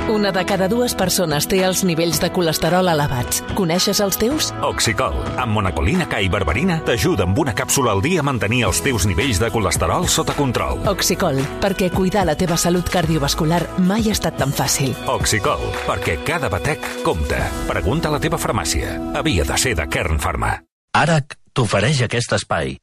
Una de cada dues persones té els nivells de colesterol elevats. Coneixes els teus? Oxicol, amb monacolina K i berberina, t'ajuda amb una càpsula al dia a mantenir els teus nivells de colesterol sota control. Oxicol, perquè cuidar la teva salut cardiovascular mai ha estat tan fàcil. Oxicol, perquè cada batec compta. Pregunta a la teva farmàcia. Havia de ser de Kern Pharma. ARAC t'ofereix aquest espai.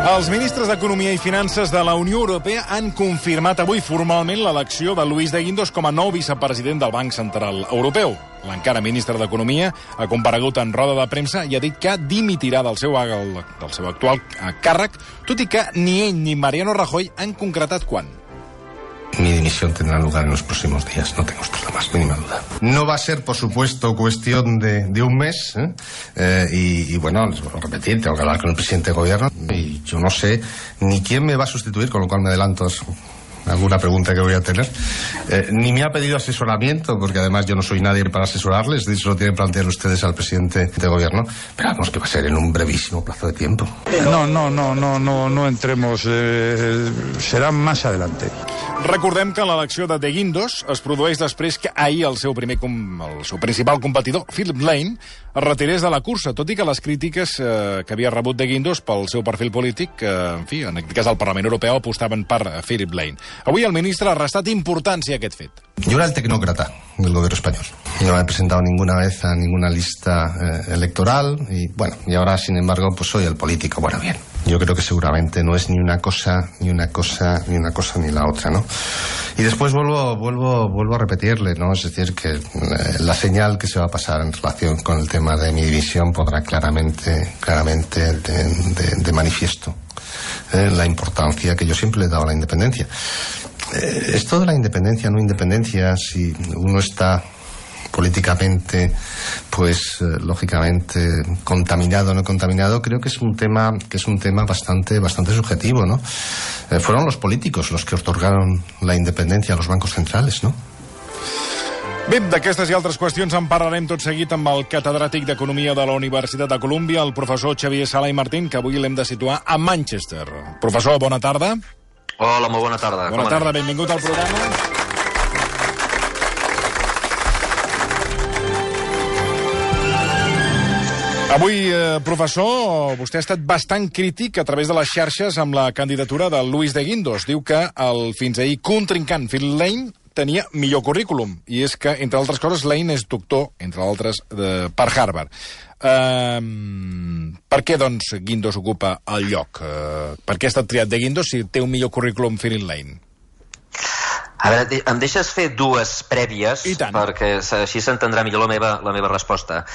Els ministres d'Economia i Finances de la Unió Europea han confirmat avui formalment l'elecció de Luis de Guindos com a nou vicepresident del Banc Central Europeu. L'encara ministre d'Economia ha comparegut en roda de premsa i ha dit que dimitirà del seu actual càrrec, tot i que ni ell ni Mariano Rajoy han concretat quan. Mi dimisión tendrá lugar en los próximos días, no tengo usted la más mínima duda. No va a ser, por supuesto, cuestión de un mes, y bueno, les vuelvo a repetir, tengo que hablar con el presidente de gobierno, y yo no sé ni quién me va a sustituir, con lo cual me adelanto alguna pregunta que voy a tener. Ni me ha pedido asesoramiento, porque además yo no soy nadie para asesorarles, de hecho lo tienen que plantear ustedes al presidente de gobierno, pero vamos que va a ser en un brevísimo plazo de tiempo. No entremos, serà más adelante. Recordem que l'elecció de Guindos es produeix després que ahir el seu principal competidor, Philip Lane, es retirés de la cursa, tot i que les crítiques que havia rebut de Guindos pel seu perfil polític, en fi, en aquest cas el Parlament Europeu, apostaven per Philip Lane. Avui el ministre ha restat importància a aquest fet. Yo era el tecnócrata del gobierno español. Yo no me he presentado ninguna vez a ninguna lista electoral y bueno, y ahora sin embargo pues soy el político. Bueno, bien. Yo creo que seguramente no es ni una cosa ni la otra, ¿no? Y después vuelvo a repetirle, ¿no? Es decir, que la señal que se va a pasar en relación con el tema de mi división podrá claramente de manifiesto la importancia que yo siempre le he dado a la independencia. Esto de la independencia, no independencia, si uno está políticamente, pues lógicamente contaminado o no contaminado, creo que es un tema bastante subjetivo, ¿no? Fueron los políticos los que otorgaron la independencia a los bancos centrales, ¿no? Bé, d'aquestes i altres qüestions en parlarem tot seguit amb el catedràtic d'Economia de la Universitat de Colúmbia, el professor Xavier Sala i Martín, que avui l'hem de situar a Manchester. Professor, bona tarda. Hola, molt bona tarda. Bona tarda, benvingut al programa. Avui, professor, vostè ha estat bastant crític a través de les xarxes amb la candidatura de Luis de Guindos. Diu que el fins ahir contrincant Phil Lane tenia millor currículum, i és que, entre altres coses, Lane és doctor, entre altres, per Harvard. Per què, doncs, Guindos ocupa el lloc? Per què ha estat triat de Guindos si té un millor currículum Phil Lane? A veure, em deixes fer dues prèvies, perquè així s'entendrà millor la meva resposta.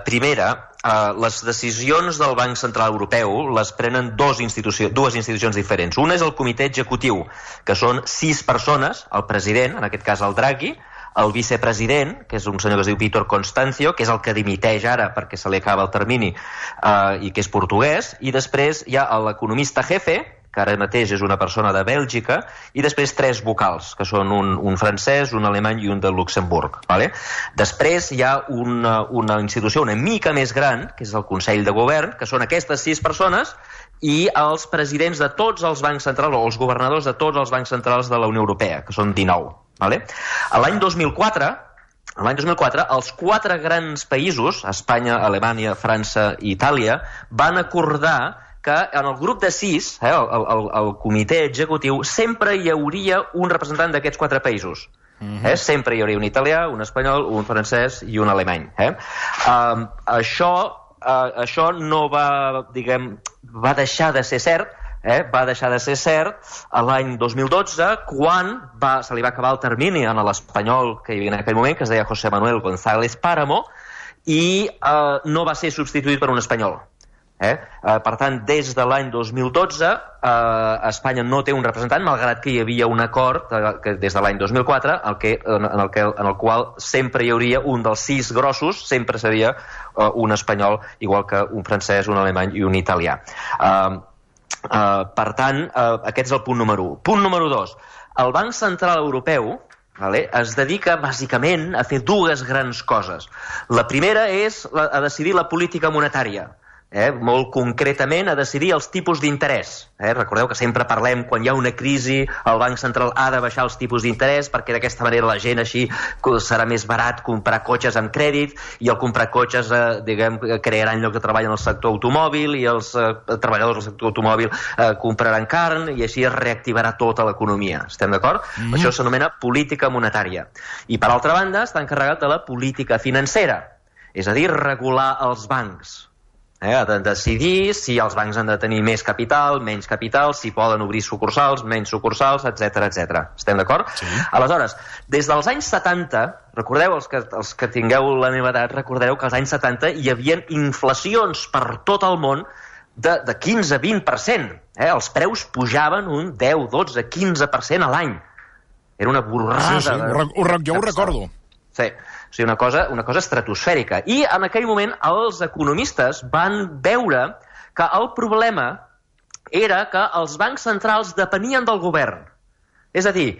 Primera, les decisions del Banc Central Europeu les prenen dues institucions diferents. Una és el comitè executiu, que són 6 persones, el president, en aquest cas el Draghi, el vicepresident, que és un senyor que es diu Vítor Constancio, que és el que dimiteix ara perquè se li acaba el termini i que és portuguès, i després hi ha l'economista jefe, que ara mateix és una persona de Bèlgica, i després 3 vocals, que són un francès, un alemany i un de Luxemburg. Vale? Després hi ha una institució una mica més gran, que és el Consell de Govern, que són aquestes 6 persones, i els presidents de tots els bancs centrals, o els governadors de tots els bancs centrals de la Unió Europea, que són 19. Vale? L'any 2004, els 4 grans països, Espanya, Alemanya, França i Itàlia, van acordar que en el grup de 6, el comitè executiu, sempre hi hauria un representant d'aquests 4 països. Sempre hi hauria un italià, un espanyol, un francès i un alemany. Això no va deixar de ser cert, va deixar de ser cert l'any 2012, quan se li va acabar el termini a l'espanyol que hi havia en aquell moment, que es deia José Manuel González Páramo, i no va ser substituït per un espanyol. Per tant, des de l'any 2012 Espanya no té un representant, malgrat que hi havia un acord des de l'any 2004 en el qual sempre hi hauria un dels 6 grossos, sempre seria un espanyol, igual que un francès, un alemany i un italià. Per tant, aquest és el punt número 1. Punt número 2. El Banc Central Europeu es dedica bàsicament a fer 2 grans coses. La primera és a decidir la política monetària. molt concretament a decidir els tipus d'interès. Recordeu que sempre parlem, quan hi ha una crisi, el Banc Central ha de baixar els tipus d'interès perquè d'aquesta manera la gent així serà més barat comprar cotxes amb crèdit, i al comprar cotxes crearan llocs de treball en el sector automòbil, i els treballadors del sector automòbil compraran carn, i així es reactivarà tota l'economia. Estem d'acord? Això s'anomena política monetària. I per altra banda està encarregat de la política financera, és a dir, regular els bancs. De decidir si els bancs han de tenir més capital, menys capital, si poden obrir sucursals, menys sucursals, etc. Estem d'acord? Sí. Aleshores, des dels anys 70, recordeu, els que tingueu la meva edat, recordeu que als anys 70 hi havia inflacions per tot el món de 15-20%. Els preus pujaven un 10, 12, 15% a l'any. Era una borrada. Sí, jo ho recordo. Sí. O sigui, una cosa estratosfèrica. I en aquell moment els economistes van veure que el problema era que els bancs centrals depenien del govern. És a dir,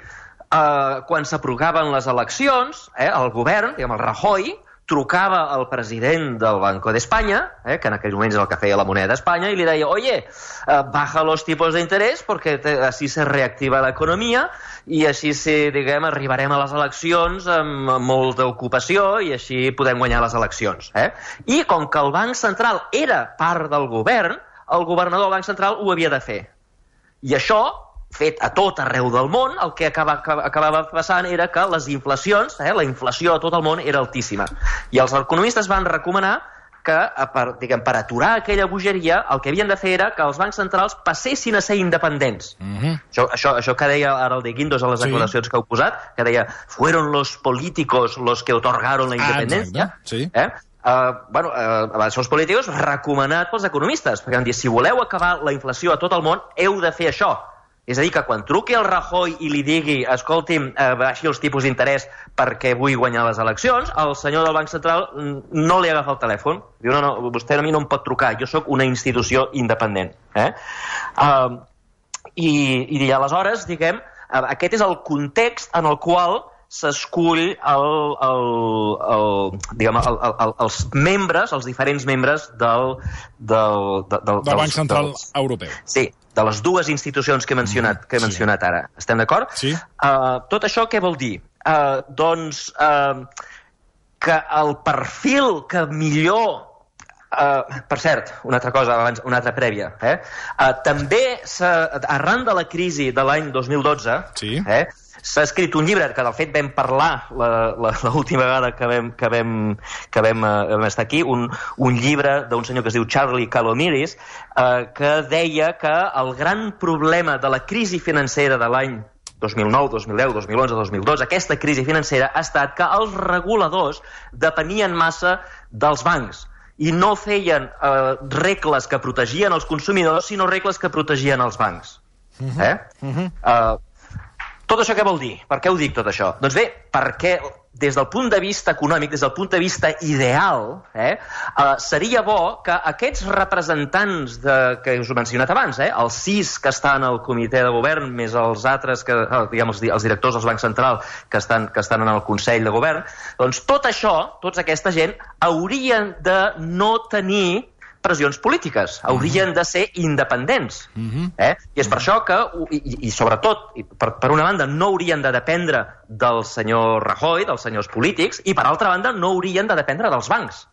quan s'aprovaven les eleccions, el govern, diguem, el Rajoy, trucava al president del Banco d'Espanya, que en aquells moments és el que feia la moneda d'Espanya, i li deia, oye, baja los tipos de interés porque así se reactiva la economía i així, diguem, arribarem a les eleccions amb molta ocupació i així podem guanyar les eleccions. I com que el Banc Central era part del govern, el governador del Banc Central ho havia de fer. I això, fet a tot arreu del món, el que acabava passant era que les inflacions, la inflació a tot el món era altíssima. I els economistes van recomanar que, per aturar aquella bogeria, el que havien de fer era que els bancs centrals passessin a ser independents. Això que deia ara el de Guindos a les declaracions que heu posat, que deia, fueron los políticos los que otorgaron la independencia. Això els polítics recomanat pels economistes, perquè van dir, si voleu acabar la inflació a tot el món, heu de fer això. És a dir, que quan truqui el Rajoy i li digui, escolti'm, baixi els tipus d'interès perquè vull guanyar les eleccions, el senyor del Banc Central no li agafa el telèfon. Diu, no, vostè a mi no em pot trucar, jo sóc una institució independent. I aleshores, diguem, aquest és el context en el qual s'escull els membres, els diferents membres del Banc Central Europeu. Sí, de les dues institucions que he mencionat ara. Estem d'acord? Sí. Tot això què vol dir? Doncs que el perfil que millor... Per cert, una altra cosa, abans, una altra prèvia. També, arran de la crisi de l'any 2012, s'ha escrit un llibre, que de fet vam parlar l'última vegada que vam estar aquí, un llibre d'un senyor que es diu Charlie Calomiris, que deia que el gran problema de la crisi financera de l'any 2009, 2010, 2011, 2012, aquesta crisi financera ha estat que els reguladors depenien massa dels bancs i no feien regles que protegien els consumidors, sinó regles que protegien els bancs. Tot això què vol dir? Per què ho dic, tot això? Doncs bé, perquè des del punt de vista econòmic, des del punt de vista ideal, seria bo que aquests representants que us he mencionat abans, els 6 que estan al comitè de govern, més els altres, els directors dels bancs centrals que estan en el Consell de Govern, doncs tot això, tota aquesta gent, haurien de no tenir pressions polítiques, haurien de ser independents. I és per això que, i sobretot, per una banda, no haurien de dependre del senyor Rajoy, dels senyors polítics, i per altra banda, no haurien de dependre dels bancs.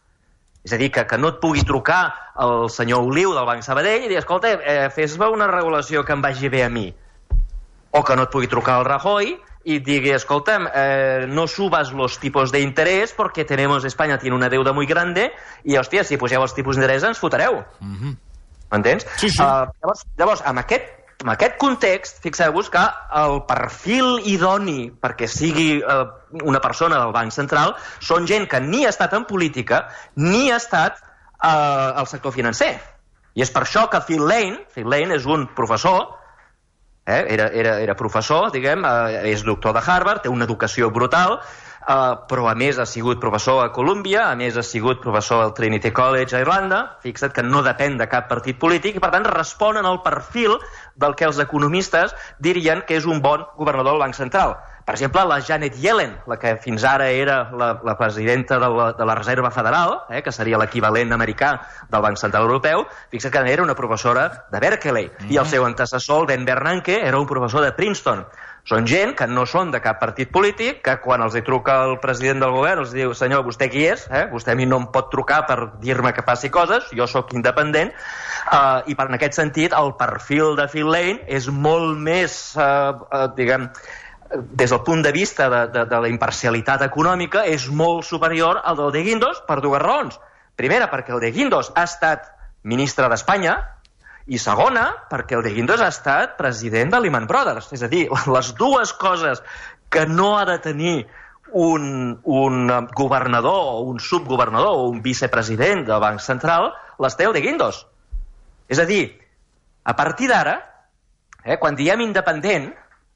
És a dir, que no et pugui trucar el senyor Oliu del Banc Sabadell i dir, escolta, fes-me una regulació que em vagi bé a mi. O que no et pugui trucar el Rajoy y diga, escolta'm, no subas los tipos de interés porque España tiene una deuda muy grande i, hòstia, si poseu els tipus d'interès ens fotreu. M'entens? Sí. Llavors, amb aquest context, fixeu-vos que el perfil idoni perquè sigui una persona del Banc Central són gent que ni ha estat en política ni ha estat al sector financer. I és per això que Phil Lane és un professor, era professor, diguem, és doctor de Harvard, té una educació brutal, però a més ha sigut professor a Columbia, a més ha sigut professor al Trinity College a Irlanda, fixa't que no depèn de cap partit polític i per tant responen al perfil del que els economistes dirien que és un bon governador del Banc Central. per exemple, la Janet Yellen, la que fins ara era la presidenta de la Reserva Federal, que seria l'equivalent americà del Banc Central Europeu, fixa't que era una professora de Berkeley, i el seu antecessor, el Ben Bernanke, era un professor de Princeton. Són gent que no són de cap partit polític, que quan els hi truca el president del govern els diu, senyor, vostè qui és? Vostè a mi no em pot trucar per dir-me que faci coses, jo sóc independent, i en aquest sentit el perfil de Phil Lane és molt més, diguem, des del punt de vista de la imparcialitat econòmica, és molt superior al del de Guindos per dues raons. Primera, perquè el de Guindos ha estat ministre d'Espanya, i segona, perquè el de Guindos ha estat president de Lehman Brothers. És a dir, les dues coses que no ha de tenir un governador o un subgovernador o un vicepresident del Banc Central les té el de Guindos. És a dir, a partir d'ara, quan diem independent,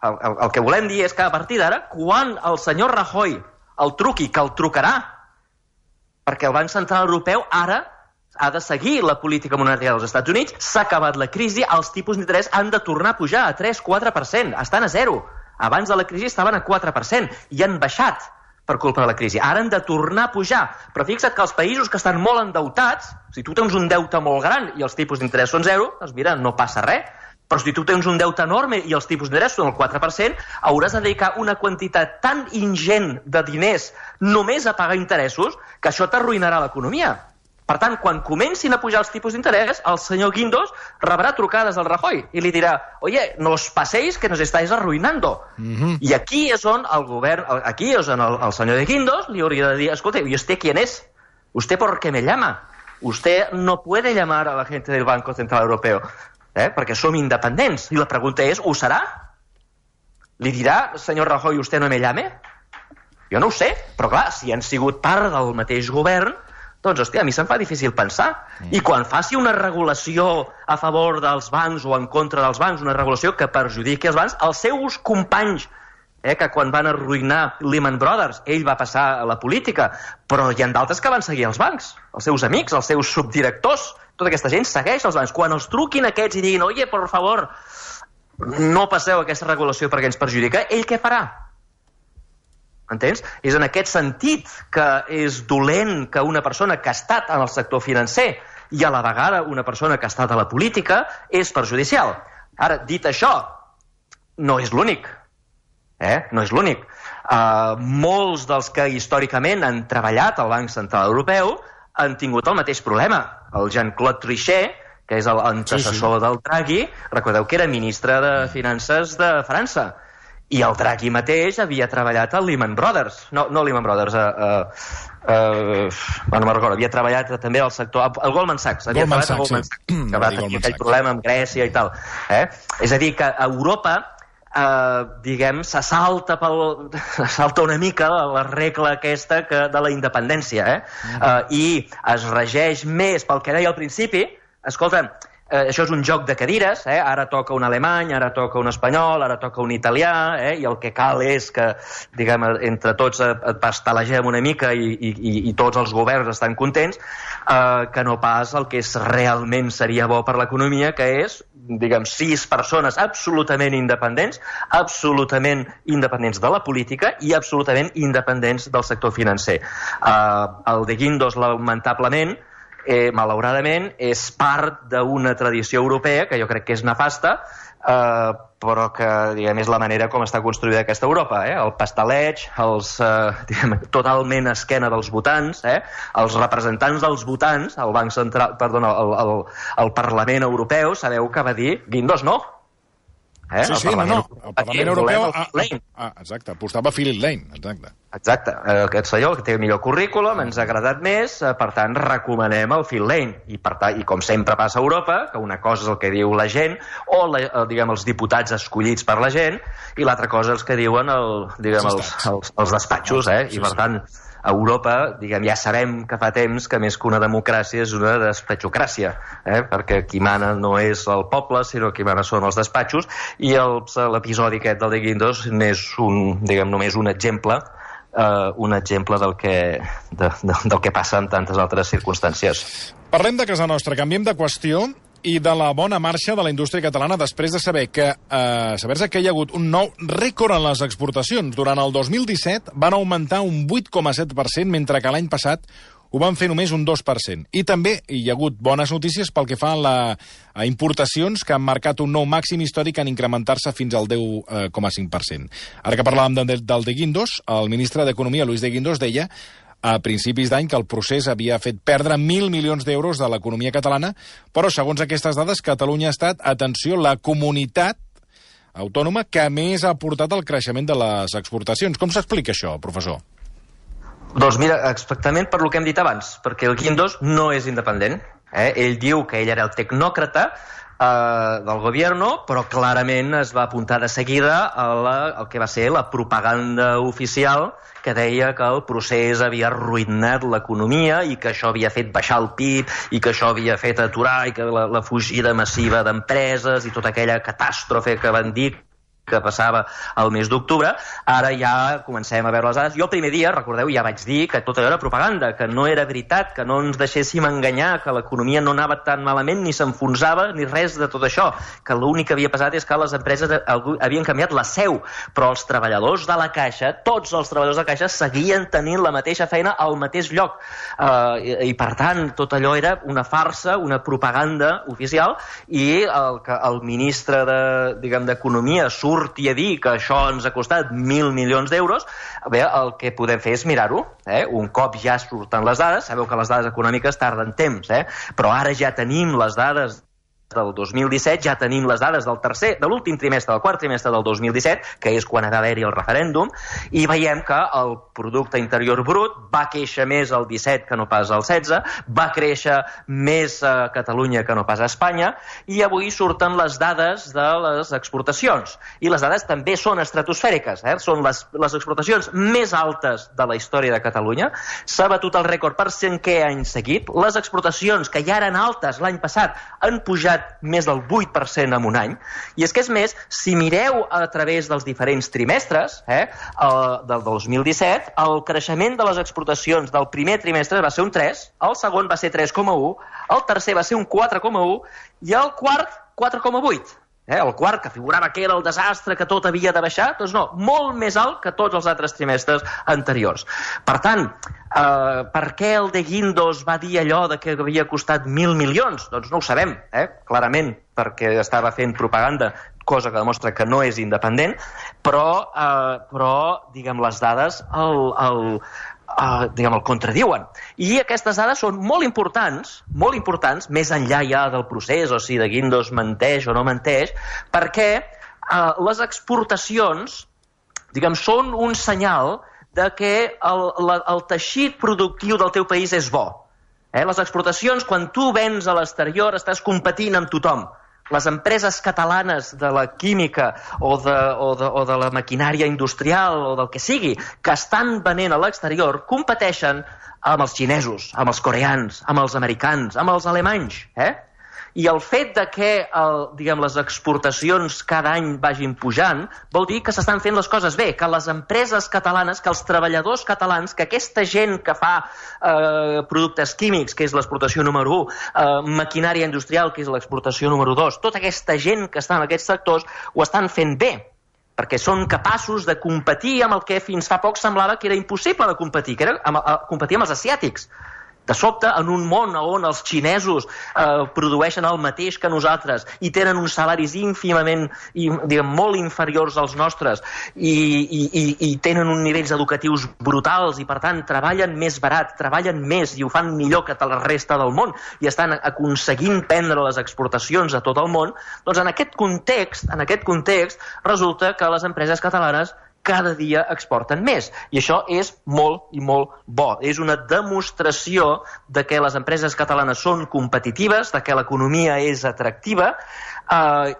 el que volem dir és que a partir d'ara, quan el senyor Rajoy el truqui, que el trucarà, perquè el Banc Central Europeu ara ha de seguir la política monetària dels Estats Units, s'ha acabat la crisi, els tipus d'interès han de tornar a pujar a 3-4%, estan a 0. Abans de la crisi estaven a 4% i han baixat per culpa de la crisi. Ara han de tornar a pujar. Però fixa't que els països que estan molt endeutats, si tu tens un deute molt gran i els tipus d'interès són 0, doncs mira, no passa res. Però si tu tens un deute enorme i els tipus d'interès són el 4%, hauràs de dedicar una quantitat tan ingent de diners només a pagar interessos que això t'arruïnarà l'economia. Per tant, quan comencin a pujar els tipus d'interès, el senyor Guindos rebrà trucades del Rajoy i li dirà, oye, no os paséis que nos estáis arruinando. I aquí és on el govern, aquí és on el senyor de Guindos li hauria de dir, escolta, ¿y usted quién es? ¿Usted por qué me llama? Usted no puede llamar a la gente del Banco Central Europeo, perquè som independents. I la pregunta és, ho serà? Li dirà, senyor Rajoy, ¿usted no me llame? Jo no ho sé, però clar, si han sigut part del mateix govern, doncs, hòstia, a mi se'm fa difícil pensar. I quan faci una regulació a favor dels bancs o en contra dels bancs, una regulació que perjudiqui els bancs, els seus companys, que quan van arruïnar Lehman Brothers, ell va passar a la política, però hi ha d'altres que van seguir els bancs, els seus amics, els seus subdirectors, tota aquesta gent segueix els bancs. Quan els truquin aquests i diguin, oye, por favor, no passeu aquesta regulació perquè ens perjudica, ell què farà? Entens? És en aquest sentit que és dolent que una persona que ha estat en el sector financer i a la vegada una persona que ha estat a la política és perjudicial. Ara, dit això, no és l'únic. No és l'únic. Molts dels que històricament han treballat al Banc Central Europeu han tingut el mateix problema. El Jean-Claude Trichet, que és l'antecessor del Draghi, recordeu que era ministre de Finances de França. I el Draghi mateix havia treballat al Lehman Brothers. No Lehman Brothers, no me'n recordo, havia treballat també al sector... El Goldman Sachs. Goldman Sachs, que va tenir aquell problema amb Grècia i tal. És a dir, que a Europa, diguem, se salta una mica la regla aquesta de la independència, i es regeix més pel que deia al principi. Escolta, això és un joc de cadires, ara toca un alemany, ara toca un espanyol, ara toca un italià, i el que cal és que, diguem, entre tots pastelagem una mica i tots els governs estan contents, que no pas el que realment seria bo per l'economia, que és, diguem, 6 persones absolutament independents de la política i absolutament independents del sector financer. El de Guindos, lamentablement, malauradament, és part d'una tradició europea que jo crec que és nefasta, però que, diguem, és la manera com està construïda aquesta Europa. El pasteleig, totalment a esquena dels votants, els representants dels votants, el Banc Central, perdona, el Parlament Europeu, sabeu que va dir Guindos no. Sí, el Parlament Europeu exacte, apostava Philip Lane, exacte, aquest senyor que té el millor currículum, ens ha agradat més, per tant recomanem el Phil Lane, i com sempre passa a Europa, que una cosa és el que diu la gent o diguem els diputats escollits per la gent, i l'altra cosa és el que diuen els despatxos, i per tant a Europa, diguem, ja sabem que fa temps que més que una democràcia és una despatxocràcia, perquè qui mana no és el poble, sinó qui mana són els despatxos, i l'episodi aquest del de Guindos n'és només un exemple del que passa en tantes altres circumstàncies. Parlem de casa nostra, canviem de qüestió i de la bona marxa de la indústria catalana després de saber-se que hi ha hagut un nou rècord en les exportacions. Durant el 2017 van augmentar un 8,7%, mentre que l'any passat ho van fer només un 2%. I també hi ha hagut bones notícies pel que fa a importacions que han marcat un nou màxim històric en incrementar-se fins al 10,5%. Ara que parlàvem del de Guindos, el ministre d'Economia, Luis de Guindos, deia a principis d'any que el procés havia fet perdre 1.000 milions d'euros de l'economia catalana, però segons aquestes dades, Catalunya ha estat, atenció, la comunitat autònoma que més ha aportat al creixement de les exportacions. Com s'explica això, professor? Doncs mira, exactament per lo que hem dit abans, perquè el Guindos no és independent. Ell diu que ell era el tecnòcrata del gobierno, però clarament es va apuntar de seguida al que va ser la propaganda oficial que deia que el procés havia arruïnat l'economia i que això havia fet baixar el PIB i que això havia fet aturar i que la fugida massiva d'empreses i tota aquella catàstrofe que van dir que passava al mes d'octubre. Ara ja comencem a veure les dades. Jo el primer dia, recordeu, ja vaig dir que tot allò era propaganda, que no era veritat, que no ens deixéssim enganyar, que l'economia no anava tan malament, ni s'enfonsava, ni res de tot això, que l'únic que havia passat és que les empreses havien canviat la seu, però els treballadors de la Caixa, tots els treballadors de la Caixa, seguien tenint la mateixa feina al mateix lloc. I per tant, tot allò era una farsa, una propaganda oficial, i el ministre d'Economia surti a dir que això ens ha costat 1.000 milions d'euros, bé, el que podem fer és mirar-ho. Un cop ja surten les dades, sabeu que les dades econòmiques tarden temps, però ara ja tenim les dades del 2017, ja tenim les dades de l'últim trimestre, del quart trimestre del 2017, que és quan ha d'haver-hi el referèndum, i veiem que el producte interior brut va créixer més el 17 que no pas el 16, va créixer més a Catalunya que no pas a Espanya, i avui surten les dades de les exportacions. I les dades també són estratosfèriques, són les exportacions més altes de la història de Catalunya. S'ha batut el rècord per 5è any seguit. Les exportacions, que ja eren altes l'any passat, han pujat més del 8% en un any. I és que, és més, si mireu a través dels diferents trimestres del 2017, el creixement de les exportacions del primer trimestre va ser un 3, el segon va ser 3,1, el tercer va ser un 4,1 i el quart 4,8. El quart, que figurava que era el desastre, que tot havia de baixar, doncs no, molt més alt que tots els altres trimestres anteriors. Per tant, per què el de Guindos va dir allò de que havia costat 1.000 milions? Doncs no ho sabem, clarament, perquè estava fent propaganda, cosa que demostra que no és independent, però diguem, les dades el contradiuen. I aquestes dades són molt importants, més enllà ja del procés, o si de Guindos menteix o no menteix, perquè les exportacions, diguem, són un senyal de que el teixit productiu del teu país és bo. Les exportacions, quan tu vens a l'exterior, estàs competint amb tothom. Les empreses catalanes de la química o de la maquinària industrial o del que sigui, que estan venent a l'exterior, competeixen amb els xinesos, amb els coreans, amb els americans, amb els alemanys. I el fet de que les exportacions cada any vagin pujant vol dir que s'estan fent les coses bé, que les empreses catalanes, que els treballadors catalans, que aquesta gent que fa productes químics, que és l'exportació número 1, maquinària industrial, que és l'exportació número 2, tota aquesta gent que està en aquests sectors ho estan fent bé, perquè són capaços de competir amb el que fins fa poc semblava que era impossible de competir, que era competir amb els asiàtics. De sobte, en un món on els xinesos produeixen el mateix que nosaltres i tenen uns salaris ínfimament, molt inferiors als nostres i tenen uns nivells educatius brutals i, per tant, treballen més barat, treballen més i ho fan millor que la resta del món i estan aconseguint prendre les exportacions a tot el món, doncs en aquest context resulta que les empreses catalanes cada dia exporten més. I això és molt i molt bo. És una demostració de que les empreses catalanes són competitives, de que l'economia és atractiva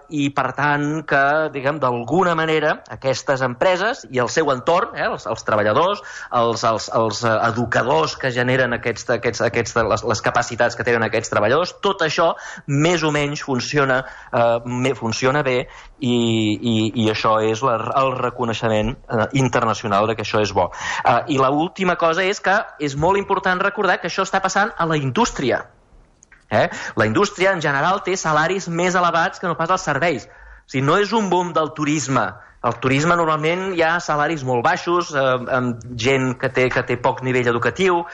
i, per tant, que, diguem, d'alguna manera aquestes empreses i el seu entorn, els treballadors, els educadors que generen les capacitats que tenen aquests treballadors, tot això més o menys funciona bé i això és el reconeixement internacional de que això és bo. I l'última cosa és que és molt important recordar que això està passant a la indústria. La indústria, en general, té salaris més elevats que no pas els serveis. O sigui, no és un boom del turisme. El turisme normalment hi ha salaris molt baixos, amb gent que té poc nivell educatiu,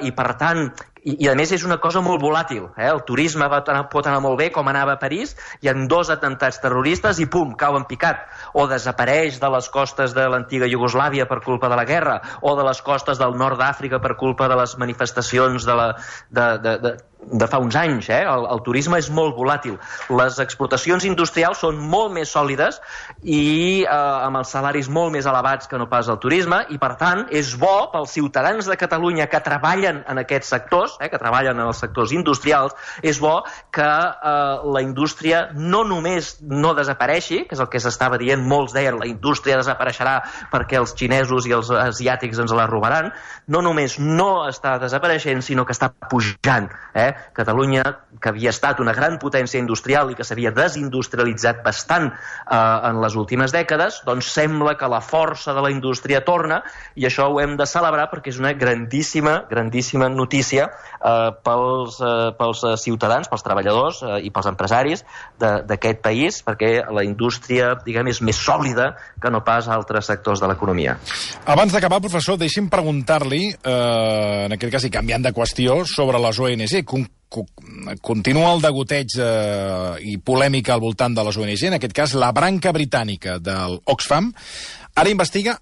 i per tant, i a més és una cosa molt volàtil. El turisme pot anar molt bé, com anava a París, hi ha 2 atemptats terroristes i pum, cau en picat. O desapareix de les costes de l'antiga Iugoslàvia per culpa de la guerra, o de les costes del nord d'Àfrica per culpa de les manifestacions de fa uns anys. El turisme és molt volàtil. Les exportacions industrials són molt més sòlides i amb els salaris molt més elevats que no pas el turisme, i per tant és bo pels ciutadans de Catalunya que treballen en aquests sectors, que treballen en els sectors industrials, és bo que la indústria no només no desapareixi, que és el que s'estava dient, molts deien la indústria desapareixerà perquè els xinesos i els asiàtics ens la robaran, no només no està desapareixent, sinó que està pujant. Catalunya, que havia estat una gran potència industrial i que s'havia desindustrialitzat bastant en les últimes dècades, doncs sembla que la força de la indústria torna, i això ho hem de celebrar perquè és una grandíssima notícia pels ciutadans, pels treballadors i pels empresaris d'aquest país, perquè la indústria, diguem, és més sòlida que no pas altres sectors de l'economia. Abans d'acabar, professor, deixi'm preguntar-li, en aquest cas i canviant de qüestió, sobre les ONG. Continua el degoteig i polèmica al voltant de les ONG, en aquest cas la branca britànica del Oxfam, ara investiga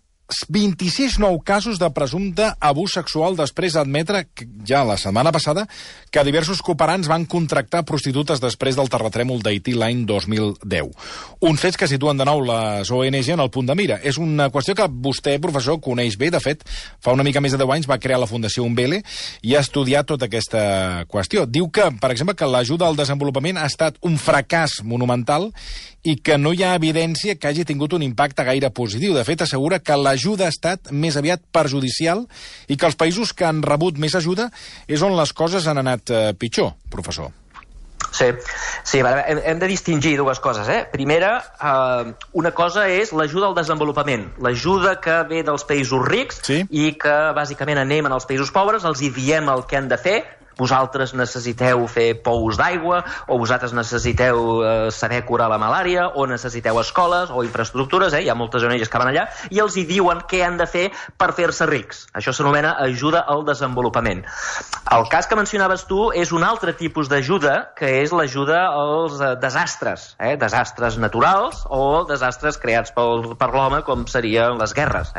26 nous casos de presumpte abús sexual després d'admetre ja la setmana passada que diversos cooperants van contractar prostitutes després del terratrèmol d'Haití l'any 2010. Uns fets que situen de nou les ONG en el punt de mira. És una qüestió que vostè, professor, coneix bé. De fet, fa una mica més de 10 anys va crear la Fundació Umbele i ha estudiat tota aquesta qüestió. Diu que, per exemple, que l'ajuda al desenvolupament ha estat un fracàs monumental i que no hi ha evidència que hagi tingut un impacte gaire positiu. De fet, assegura que l'ajuda ha estat més aviat perjudicial i que els països que han rebut més ajuda és on les coses han anat pitjor, professor. Sí, hem de distingir dues coses. Primera, una cosa és l'ajuda al desenvolupament, l'ajuda que ve dels països rics i que bàsicament anem en els països pobres, els hi diem el que han de fer. Vosaltres necessiteu fer pous d'aigua, o vosaltres necessiteu saber curar la malària, o necessiteu escoles o infraestructures, hi ha moltes ONGs que van allà, i els hi diuen què han de fer per fer-se rics. Això s'anomena ajuda al desenvolupament. El cas que mencionaves tu és un altre tipus d'ajuda, que és l'ajuda als desastres, desastres naturals o desastres creats per l'home, com serien les guerres.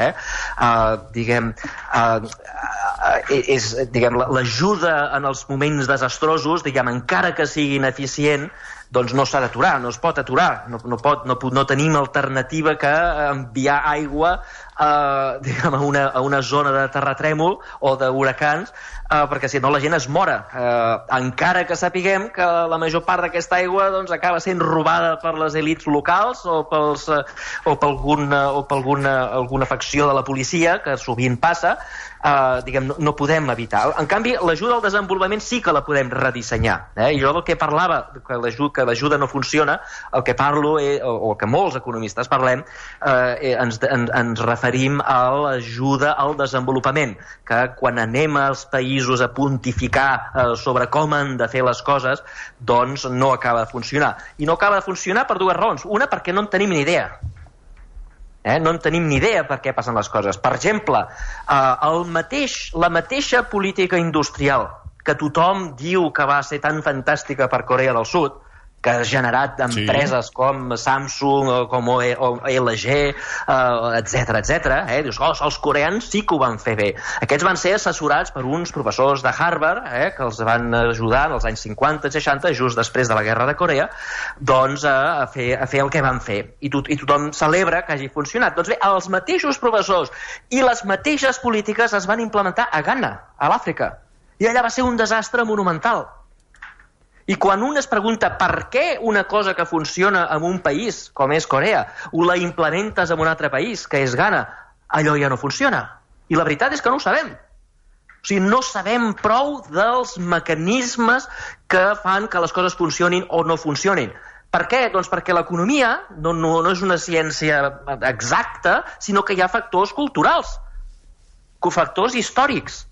L'ajuda en els moments desastrosos, encara que sigui ineficient, doncs no s'ha d'aturar, no es pot aturar. No tenim alternativa que enviar aigua a una zona de terratrèmol o d'huracans, perquè si no la gent es mora. Encara que sapiguem que la major part d'aquesta aigua acaba sent robada per les elits locals o per alguna facció de la policia, que sovint passa, no podem evitar. En canvi, l'ajuda al desenvolupament sí que la podem redissenyar. I jo del que parlava, que l'ajuda no funciona, el que parlo, o el que molts economistes parlem, ens referim a l'ajuda al desenvolupament, que quan anem als països a pontificar sobre com han de fer les coses, doncs no acaba de funcionar. I no acaba de funcionar per dues raons. Una, perquè no en tenim ni idea. No en tenim ni idea per què passen les coses. Per exemple, la mateixa política industrial que tothom diu que va ser tan fantàstica per Corea del Sud, que ha generat empreses com Samsung, com LG, etc. Dius, els coreans sí que ho van fer bé. Aquests van ser assessorats per uns professors de Harvard, que els van ajudar en els anys 50 i 60, just després de la guerra de Corea, doncs a fer el que van fer. I tothom celebra que hagi funcionat. Doncs bé, els mateixos professors i les mateixes polítiques es van implementar a Ghana, a l'Àfrica. I allà va ser un desastre monumental. I quan un es pregunta per què una cosa que funciona en un país, com és Corea, o la implementes en un altre país, que és Ghana, allò ja no funciona. I la veritat és que no ho sabem. O sigui, no sabem prou dels mecanismes que fan que les coses funcionin o no funcionin. Per què? Doncs perquè l'economia no és una ciència exacta, sinó que hi ha factors culturals, cofactors històrics.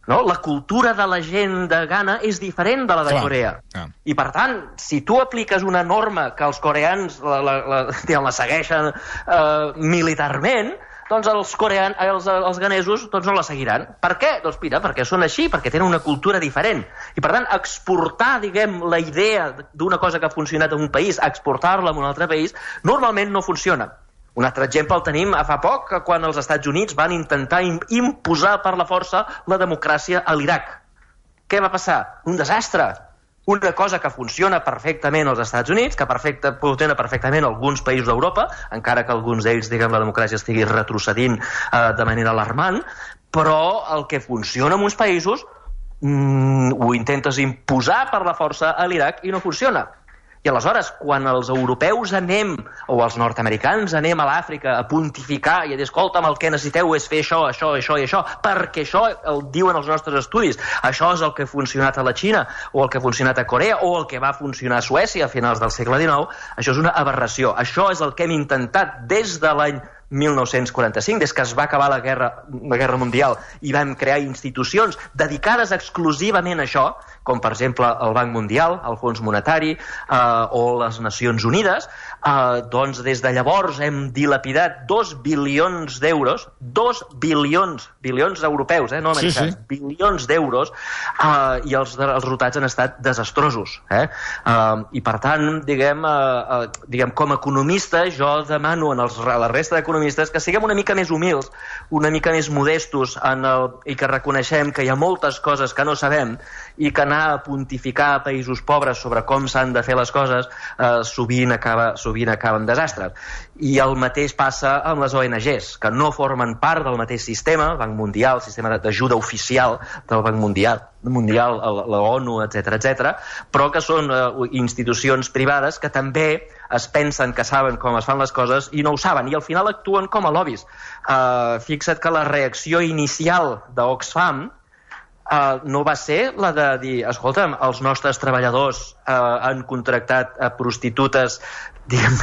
no? La cultura de la gent de Ghana és diferent de la de Corea. I, per tant, si tu apliques una norma que els coreans la segueixen militarment, doncs els ganesos no la seguiran. Per què? Doncs mira, perquè són així, perquè tenen una cultura diferent. I, per tant, exportar, diguem, la idea d'una cosa que ha funcionat en un país, exportar-la a un altre país, normalment no funciona. Un altre exemple el tenim a fa poc, quan els Estats Units van intentar imposar per la força la democràcia a l'Iraq. Què va passar? Un desastre. Una cosa que funciona perfectament als Estats Units, que funciona perfectament alguns països d'Europa, encara que alguns d'ells, diguem, la democràcia estigui retrocedint de manera alarmant, però el que funciona en uns països ho intentes imposar per la força a l'Iraq i no funciona. I aleshores, quan els europeus o els nord-americans anem a l'Àfrica a pontificar i a dir, escolta'm, el que necessiteu és fer això, això, això i això, perquè això el diuen els nostres estudis, això és el que ha funcionat a la Xina, o el que ha funcionat a Corea, o el que va funcionar a Suècia a finals del segle XIX, això és una aberració. Això és el que hem intentat des de l'any 1945, des que es va acabar la Guerra Mundial i vam crear institucions dedicades exclusivament a això, com per exemple el Banc Mundial, el Fons Monetari o les Nacions Unides, doncs des de llavors hem dilapidat 2 bilions d'euros, 2 bilions europeus, no americans, bilions d'euros, i els resultats han estat desastrosos. I per tant, diguem, com a economista, jo demano a la resta d'economistes que siguem una mica més humils, una mica més modestos i que reconeixem que hi ha moltes coses que no sabem i que anar a pontificar a països pobres sobre com s'han de fer les coses sovint acaba en desastres. I el mateix passa amb les ONGs, que no formen part del mateix sistema, el Banc Mundial, el sistema d'ajuda oficial del Banc Mundial, la ONU, etc., però que són institucions privades que també es pensen que saben com es fan les coses i no ho saben, i al final actuen com a lobbies. Fixa't que la reacció inicial d'Oxfam no va ser la de dir, escolta'm, els nostres treballadors han contractat prostitutes, diguem,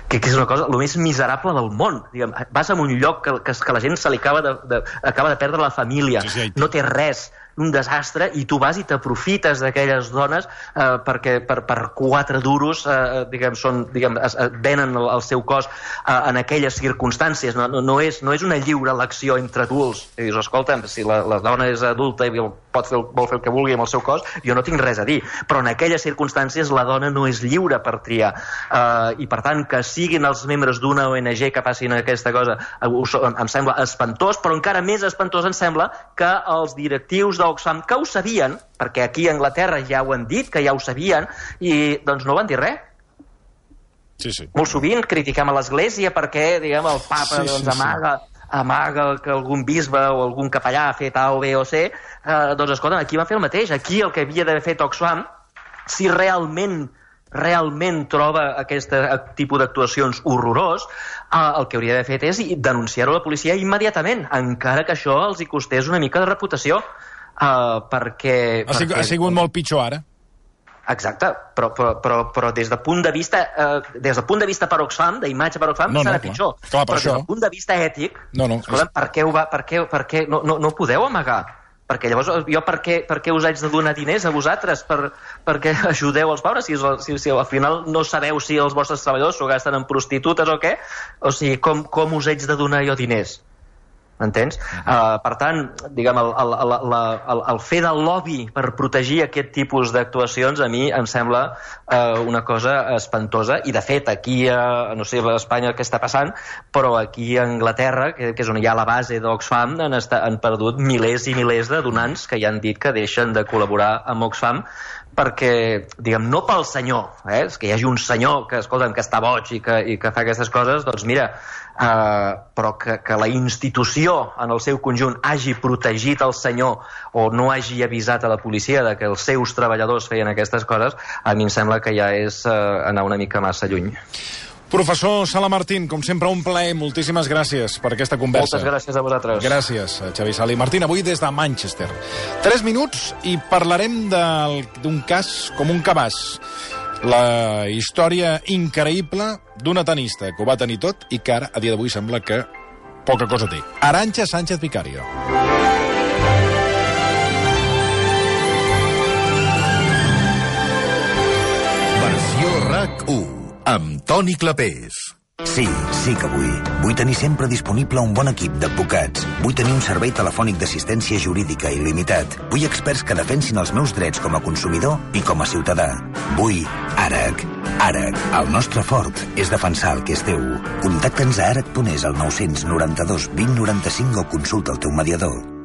que és una cosa el més miserable del món. Diguem, vas a un lloc que la gent se li acaba de perdre la família, no té res, un desastre, i tu vas i t'aprofites d'aquelles dones perquè per 4 duros venen el seu cos en aquelles circumstàncies. No és una lliure elecció entre adults. I dius, escolta'm, si la dona és adulta i vol fer el que vulgui amb el seu cos, jo no tinc res a dir, però en aquelles circumstàncies la dona no és lliure per triar. I per tant, que siguin els membres d'una ONG que passin aquesta cosa em sembla espantós, però encara més espantós em sembla que els directius d'Oxfam, que ho sabien, perquè aquí a Anglaterra ja ho han dit, que ja ho sabien, i doncs no van dir res. Molt sovint critiquem a l'Església perquè, diguem, el papa amaga que algun bisbe o algun capellà ha fet A o B o C. Doncs escolta, aquí va fer el mateix. Aquí el que havia d'haver fet Oxfam, si realment troba aquest tipus d'actuacions horrorós, el que hauria d'haver fet és denunciar-ho a la policia immediatament, encara que això els hi costés una mica de reputació, perquè... Ha sigut molt pitjor ara. Exacte, però des del punt de vista per Oxfam, d'imatge per Oxfam, serà pitjor. Però des del punt de vista ètic, per què no podeu amagar? Perquè llavors jo per què us haig de donar diners a vosaltres perquè ajudeu els pobres si al final no sabeu si els vostres treballadors s'ho gasten en prostitutes o què? O sigui, com us haig de donar jo diners? M'entens? Per tant, diguem, el fer del lobby per protegir aquest tipus d'actuacions a mi em sembla una cosa espantosa, i de fet aquí, no sé a Espanya què està passant, però aquí a Anglaterra, que és on hi ha la base d'Oxfam, han perdut milers i milers de donants que ja han dit que deixen de col·laborar amb Oxfam perquè, diguem, no pel senyor, és que hi hagi un senyor que, escolta'm, que està boig i que fa aquestes coses, doncs mira, però que la institució en el seu conjunt hagi protegit el senyor o no hagi avisat a la policia de que els seus treballadors feien aquestes coses, a mi em sembla que ja és anar una mica massa lluny. Professor Sala Martín, com sempre, un plaer. Moltíssimes gràcies per aquesta conversa. Moltes gràcies a vosaltres. Gràcies, Xavi Sala i Martín. Avui des de Manchester. 3 minuts i parlarem d'un cas com un cabàs. La història increïble d'una tenista que ho va tenir tot i que ara, a dia d'avui, sembla que poca cosa té. Arantxa Sánchez Vicario. RAC1, amb Toni Clapés. Sí que vull. Vull tenir sempre disponible un bon equip d'advocats. Vull tenir un servei telefònic d'assistència jurídica il·limitat. Vull experts que defensin els meus drets com a consumidor i com a ciutadà. Vull ARAC. ARAC. El nostre fort és defensar el que és teu. Contacta'ns a arac.es al 992 20 95 o consulta el teu mediador.